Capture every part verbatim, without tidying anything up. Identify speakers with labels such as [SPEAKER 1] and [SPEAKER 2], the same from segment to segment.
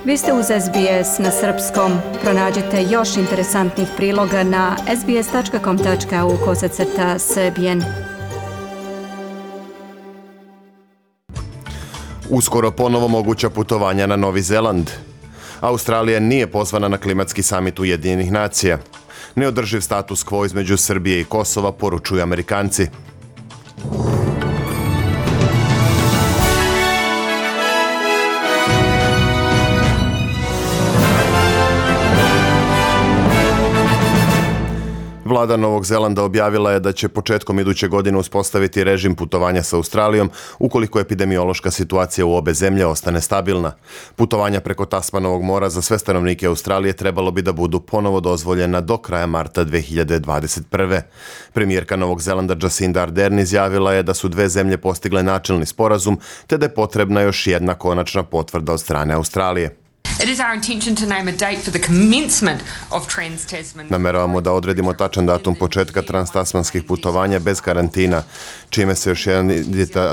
[SPEAKER 1] Vi ste uz S B S na srpskom. Pronađite još interesantnih priloga na sbs.com.au kosacrta srbijen.
[SPEAKER 2] Uskoro ponovo moguća putovanja na Novi Zeland. Australija nije pozvana na klimatski samit Ujedinjenih nacija. Neodrživ status quo između Srbije i Kosova, poručuju Amerikanci. Vlada Novog Zelanda objavila je da će početkom iduće godine uspostaviti režim putovanja sa Australijom ukoliko epidemiološka situacija u obe zemlje ostane stabilna. Putovanja preko Tasmanovog mora za sve stanovnike Australije trebalo bi da budu ponovo dozvoljena do kraja marta dve hiljade dvadeset prve. Premijerka Novog Zelanda Jacinda Ardern izjavila je da su dve zemlje postigle načelni sporazum te da je potrebna još jedna konačna potvrda od strane Australije.
[SPEAKER 3] It is our intention to name a date for the commencement of Trans-Tasman.
[SPEAKER 2] Nameravamo da odredimo tačan datum početka transtasmanskih putovanja bez karantina. Čime se još jedan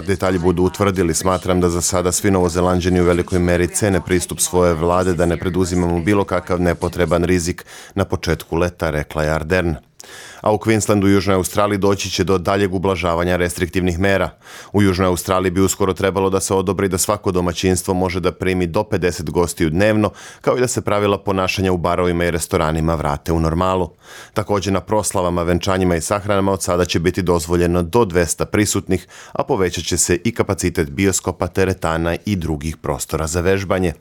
[SPEAKER 2] detalji budu utvrdili, smatram da za sada svi Novozelanđani u velikoj meri cene pristup svoje vlade da ne preduzimamo bilo kakav nepotreban rizik na početku leta, rekla je Ardern. A u Queenslandu i Južnoj Australiji doći će do daljeg ublažavanja restriktivnih mera. U Južnoj Australiji bi uskoro trebalo da se odobri da svako domaćinstvo može da primi do pedeset gostiju dnevno, kao i da se pravila ponašanja u barovima i restoranima vrate u normalu. Također na proslavama, venčanjima i sahranama od sada će biti dozvoljeno do dvesta prisutnih, a povećat će se i kapacitet bioskopa, teretana i drugih prostora za vežbanje.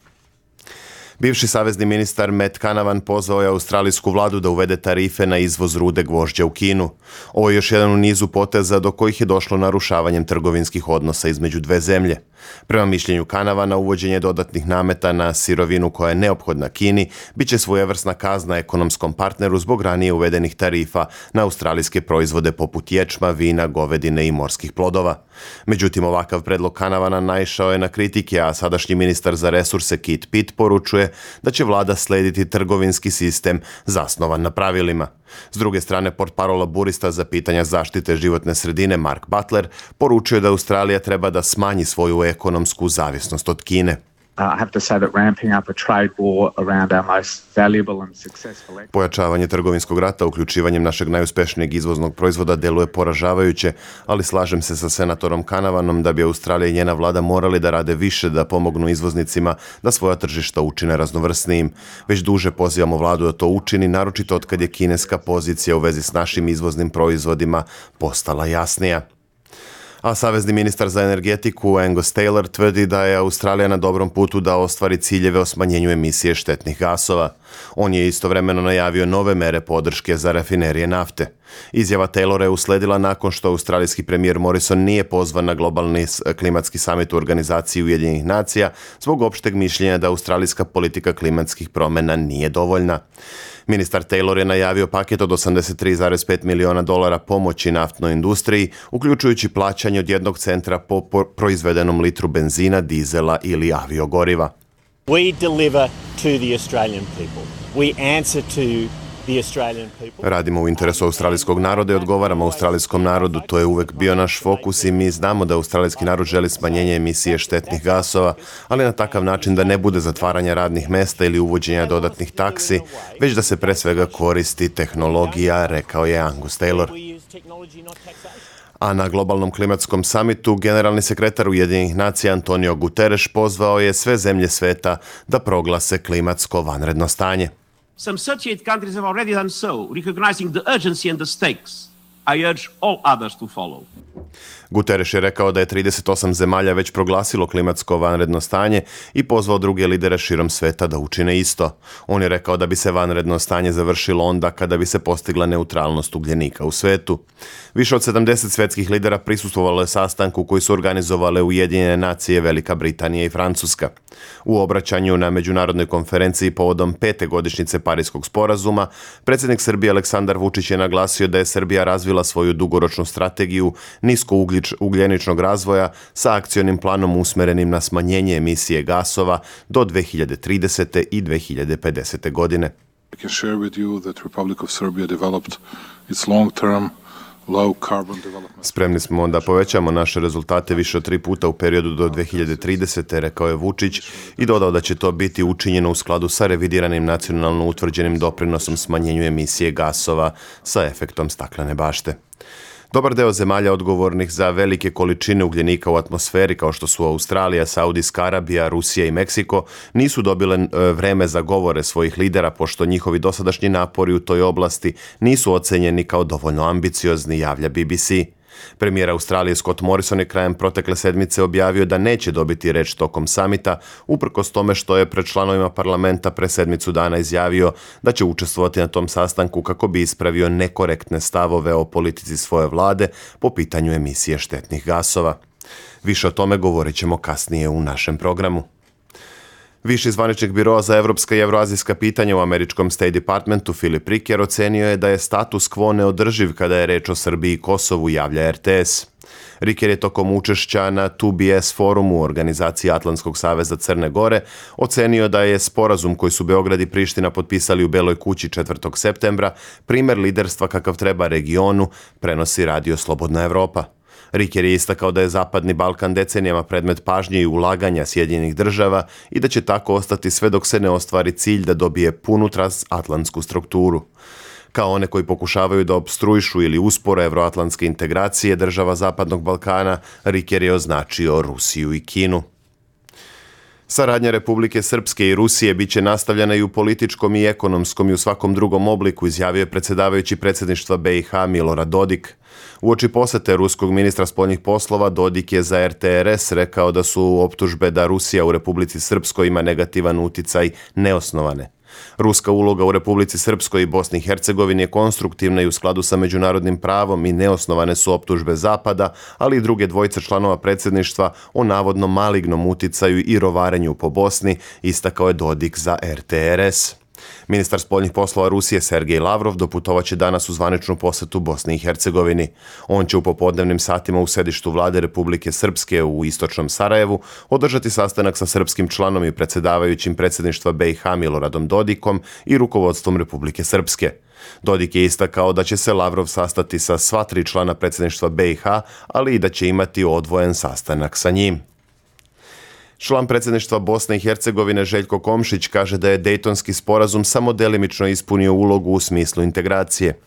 [SPEAKER 2] Bivši savezni ministar Matt Canavan pozvao je australijsku vladu da uvede tarife na izvoz rude gvožđa u Kinu. Ovo je još jedan u nizu poteza do kojih je došlo narušavanjem trgovinskih odnosa između dve zemlje. Prema mišljenju Canavana, uvođenje dodatnih nameta na sirovinu koja je neophodna Kini bit će svojevrsna kazna ekonomskom partneru zbog ranije uvedenih tarifa na australijske proizvode poput ječma, vina, govedine i morskih plodova. Međutim, ovakav predlog Canavana naišao je na kritike, a sadašnji ministar za resurse Kit Pitt poručuje da će vlada slediti trgovinski sistem zasnovan na pravilima. S druge strane, portparol laburista za pitanja zaštite životne sredine Mark Butler poručuje da Australija treba da smanji svoju ekonomsku zavisnost od Kine. Pojačavanje trgovinskog rata uključivanjem našeg najuspešnijeg izvoznog proizvoda deluje poražavajuće, ali slažem se sa senatorom Canavanom da bi Australija i njena vlada morali da rade više da pomognu izvoznicima da svoja tržišta učine raznovrsnijim. Već duže pozivamo vladu da to učini, naročito od kad je kineska pozicija u vezi s našim izvoznim proizvodima postala jasnija. A savezni ministar za energetiku Angus Taylor tvrdi da je Australija na dobrom putu da ostvari ciljeve o smanjenju emisije štetnih gasova. On je istovremeno najavio nove mere podrške za rafinerije nafte. Izjava Taylora je usledila nakon što australijski premijer Morrison nije pozvan na globalni klimatski samit u organizaciji Ujedinjenih nacija zbog opšteg mišljenja da australijska politika klimatskih promjena nije dovoljna. Ministar Taylor je najavio paket od osamdeset tri zarez pet miliona dolara pomoći naftnoj industriji, uključujući plaćanje od jednog centra po proizvedenom litru benzina, dizela ili aviogoriva.
[SPEAKER 4] We deliver to the Australian people. We answer to the Australian people.
[SPEAKER 2] Radimo u interesu australijskog naroda i odgovaramo australijskom narodu. To je uvek bio naš fokus i mi znamo da australijski narod želi smanjenje emisije štetnih gasova, ali na takav način da ne bude zatvaranja radnih mesta ili uvođenja dodatnih taksi, već da se pre svega koristi tehnologija, rekao je Angus Taylor. A na globalnom klimatskom samitu generalni sekretar Ujedinjenih nacija Antonio Guterres pozvao je sve zemlje sveta da proglase klimatsko vanredno stanje.
[SPEAKER 5] Some thirty-eight countries have already done so, recognizing the urgency and the stakes. I urge all others to follow.
[SPEAKER 2] Guterres je rekao da je trideset osam zemalja već proglasilo klimatsko vanredno stanje i pozvao druge lidere širom sveta da učine isto. On je rekao da bi se vanredno stanje završilo onda kada bi se postigla neutralnost ugljenika u svetu. Više od sedamdeset svetskih lidera prisustvovalo je sastanku koji su organizovale Ujedinjene nacije, Velika Britanija i Francuska. U obraćanju na međunarodnoj konferenciji povodom pete godišnjice Pariskog sporazuma, predsjednik Srbije Aleksandar Vučić je naglasio da je Srbija razvila svoju dugoročnu strategiju nisko ugljeničnog razvoja sa akcionim planom usmerenim na smanjenje emisije gasova do dve hiljade tridesete. i dve hiljade pedesete. godine.
[SPEAKER 6] I can share with you that Republic of Serbia developed its long-term
[SPEAKER 2] Spremni smo da povećamo naše rezultate više od tri puta u periodu do dve hiljade tridesete. rekao je Vučić i dodao da će to biti učinjeno u skladu sa revidiranim nacionalno utvrđenim doprinosom smanjenju emisije gasova sa efektom staklene bašte. Dobar deo zemalja odgovornih za velike količine ugljenika u atmosferi, kao što su Australija, Saudijska Arabija, Rusija i Meksiko, nisu dobile vreme za govore svojih lidera, pošto njihovi dosadašnji napori u toj oblasti nisu ocenjeni kao dovoljno ambiciozni, javlja B B C. Premijer Australije Scott Morrison je krajem protekle sedmice objavio da neće dobiti reč tokom samita, uprkos tome što je pred članovima parlamenta pre sedmicu dana izjavio da će učestvovati na tom sastanku kako bi ispravio nekorektne stavove o politici svoje vlade po pitanju emisije štetnih gasova. Više o tome govorit ćemo kasnije u našem programu. Viši zvaničnik biroa za evropska i evroazijska pitanja u američkom State Departmentu Filip Riker ocenio je da je status quo neodrživ kada je reč o Srbiji i Kosovu, javlja R T S. Riker je tokom učešća na two B S forumu u organizaciji Atlantskog saveza Crne Gore ocenio da je sporazum koji su Beograd i Priština potpisali u Beloj kući četvrtog septembra primer liderstva kakav treba regionu, prenosi radio Slobodna Evropa. Riker je istakao da je Zapadni Balkan decenijama predmet pažnje i ulaganja Sjedinjenih država i da će tako ostati sve dok se ne ostvari cilj da dobije punu transatlantsku strukturu. Kao one koji pokušavaju da opstruišu ili uspore evroatlantske integracije država Zapadnog Balkana, Riker je označio Rusiju i Kinu. Saradnja Republike Srpske i Rusije bit će nastavljena i u političkom i ekonomskom i u svakom drugom obliku, izjavio je predsjedavajući predsjedništva B i H Milorad Dodik. Uoči posete ruskog ministra spoljnih poslova, Dodik je za R T R S rekao da su optužbe da Rusija u Republici Srpskoj ima negativan uticaj neosnovane. Ruska uloga u Republici Srpskoj i Bosni i Hercegovini je konstruktivna i u skladu sa međunarodnim pravom i neosnovane su optužbe Zapada, ali i druge dvojice članova predsjedništva o navodno malignom uticaju i rovarenju po Bosni, istakao je Dodik za R T R S. Ministar spoljnih poslova Rusije Sergej Lavrov doputovaće danas u zvaničnu posetu Bosni i Hercegovini. On će u popodnevnim satima u sedištu vlade Republike Srpske u istočnom Sarajevu održati sastanak sa srpskim članom i predsjedavajućim predsjedništva B i H Miloradom Dodikom i rukovodstvom Republike Srpske. Dodik je istakao da će se Lavrov sastati sa sva tri člana predsjedništva B i H, ali i da će imati odvojen sastanak sa njim. Član predsjedništva Bosne i Hercegovine Željko Komšić kaže da je Dejtonski sporazum samo delimično ispunio ulogu u smislu integracije.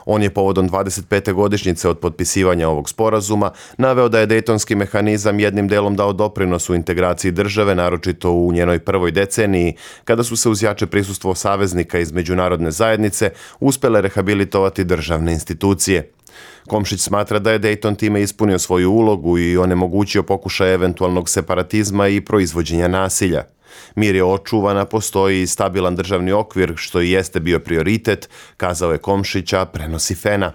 [SPEAKER 2] On je povodom dvadeset pete godišnjice od potpisivanja ovog sporazuma naveo da je Dejtonski mehanizam jednim delom dao doprinos u integraciji države, naročito u njenoj prvoj deceniji, kada su se uz jače prisustvo saveznika iz međunarodne zajednice uspjele rehabilitovati državne institucije. Komšić smatra da je Dejton time ispunio svoju ulogu i onemogućio pokušaj eventualnog separatizma i proizvođenja nasilja. Mir je očuvana, postoji i stabilan državni okvir, što i jeste bio prioritet, kazao je Komšića, prenosi Fena.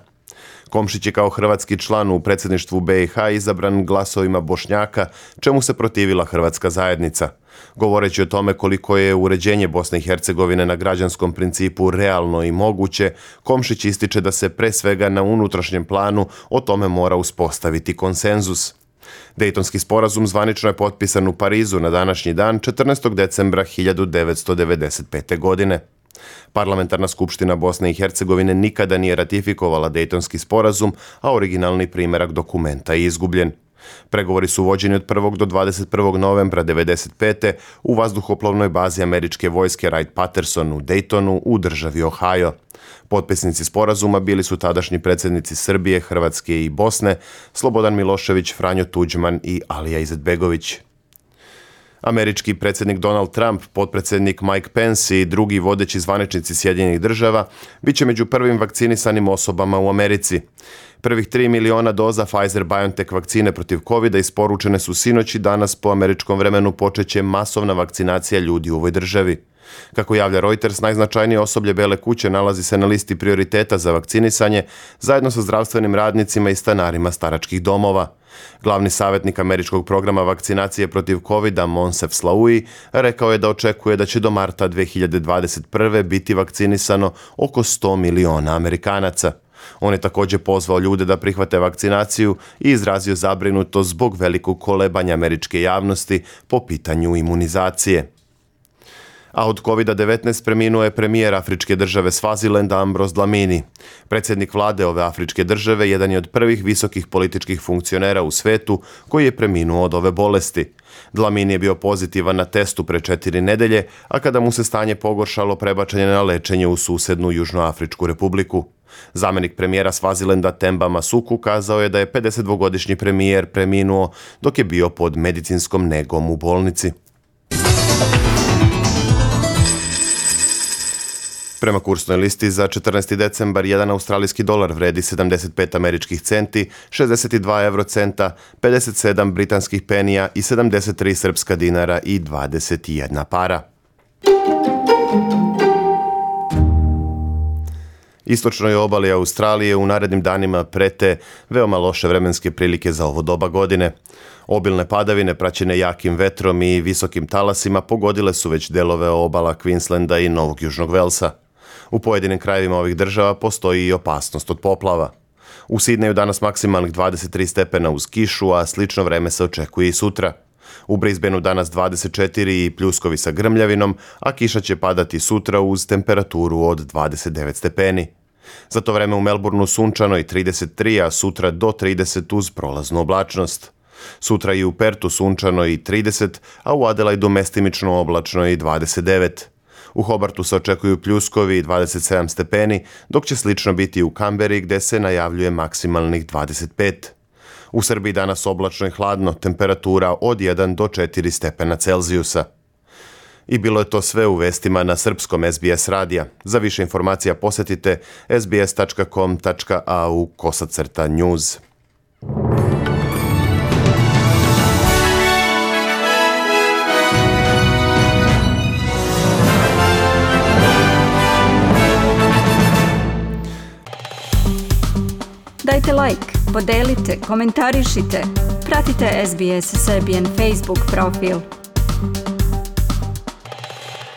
[SPEAKER 2] Komšić je kao hrvatski član u predsjedništvu B i H izabran glasovima Bošnjaka, čemu se protivila hrvatska zajednica. Govoreći o tome koliko je uređenje Bosne i Hercegovine na građanskom principu realno i moguće, Komšić ističe da se pre svega na unutrašnjem planu o tome mora uspostaviti konsenzus. Dejtonski sporazum zvanično je potpisan u Parizu na današnji dan četrnaestog decembra hiljadu devetsto devedeset pete. godine. Parlamentarna skupština Bosne i Hercegovine nikada nije ratifikovala Dejtonski sporazum, a originalni primjerak dokumenta je izgubljen. Pregovori su vođeni od prvog do dvadeset prvog novembra devedeset pete. u vazduhoplovnoj bazi američke vojske Wright-Patterson u Daytonu u državi Ohio. Potpisnici sporazuma bili su tadašnji predsjednici Srbije, Hrvatske i Bosne, Slobodan Milošević, Franjo Tuđman i Alija Izetbegović. Američki predsjednik Donald Trump, potpredsjednik Mike Pence i drugi vodeći zvaničnici Sjedinjenih država bit će među prvim vakcinisanim osobama u Americi. Prvih tri miliona doza Pfizer-BioNTech vakcine protiv kovida isporučene su sinoć i danas po američkom vremenu počeće masovna vakcinacija ljudi u ovoj državi. Kako javlja Reuters, najznačajnije osoblje Bele kuće nalazi se na listi prioriteta za vakcinisanje zajedno sa zdravstvenim radnicima i stanarima staračkih domova. Glavni savjetnik američkog programa vakcinacije protiv kovida Monsef Slaoui rekao je da očekuje da će do marta dve hiljade dvadeset prve. biti vakcinisano oko sto miliona Amerikanaca. On je također pozvao ljude da prihvate vakcinaciju i izrazio zabrinutost zbog velikog kolebanja američke javnosti po pitanju imunizacije. A od kovida devetnaest preminuo je premijer afričke države Svazilenda Ambros Dlamini. Predsjednik vlade ove afričke države jedan je od prvih visokih političkih funkcionera u svetu koji je preminuo od ove bolesti. Dlamini je bio pozitivan na testu pre četiri nedelje, a kada mu se stanje pogoršalo, prebačen je na lečenje u susednu Južnoafričku republiku. Zamenik premijera Svazilenda Temba Masuku kazao je da je pedesetdvogodišnji premijer preminuo dok je bio pod medicinskom negom u bolnici. Prema kursnoj listi za četrnaesti decembar jedan australijski dolar vredi sedamdeset pet američkih centi, šezdeset dva eurocenta, pedeset sedam britanskih penija i sedamdeset tri srpska dinara i dvadeset jedna para. Istočnoj obali Australije u narednim danima prete veoma loše vremenske prilike za ovo doba godine. Obilne padavine praćene jakim vetrom i visokim talasima pogodile su već delove obala Queenslanda i Novog Južnog Velsa. U pojedinim krajevima ovih država postoji i opasnost od poplava. U Sidneju danas maksimalnih dvadeset tri stepena uz kišu, a slično vreme se očekuje i sutra. U Brisbaneu danas dvadeset četiri i pljuskovi sa grmljavinom, a kiša će padati sutra uz temperaturu od dvadeset devet stepeni. Za to vreme u Melbourneu sunčano i trideset tri, a sutra do trideset uz prolaznu oblačnost. Sutra i u Pertu sunčano i trideset, a u Adelaidu mestimično oblačno i dvadeset devet. U Hobartu se očekuju pljuskovi i dvadeset sedam stepeni, dok će slično biti u Kamberi gde se najavljuje maksimalnih dvadeset pet. U Srbiji danas oblačno i hladno, temperatura od jedan do četiri stepena Celzijusa. I bilo je to sve u vestima na srpskom S B S radija. Za više informacija posetite s b s tačka com tačka a u kosacrta news.
[SPEAKER 1] Dajte like, podelite, komentarišite, pratite S B S Serbian Facebook profil.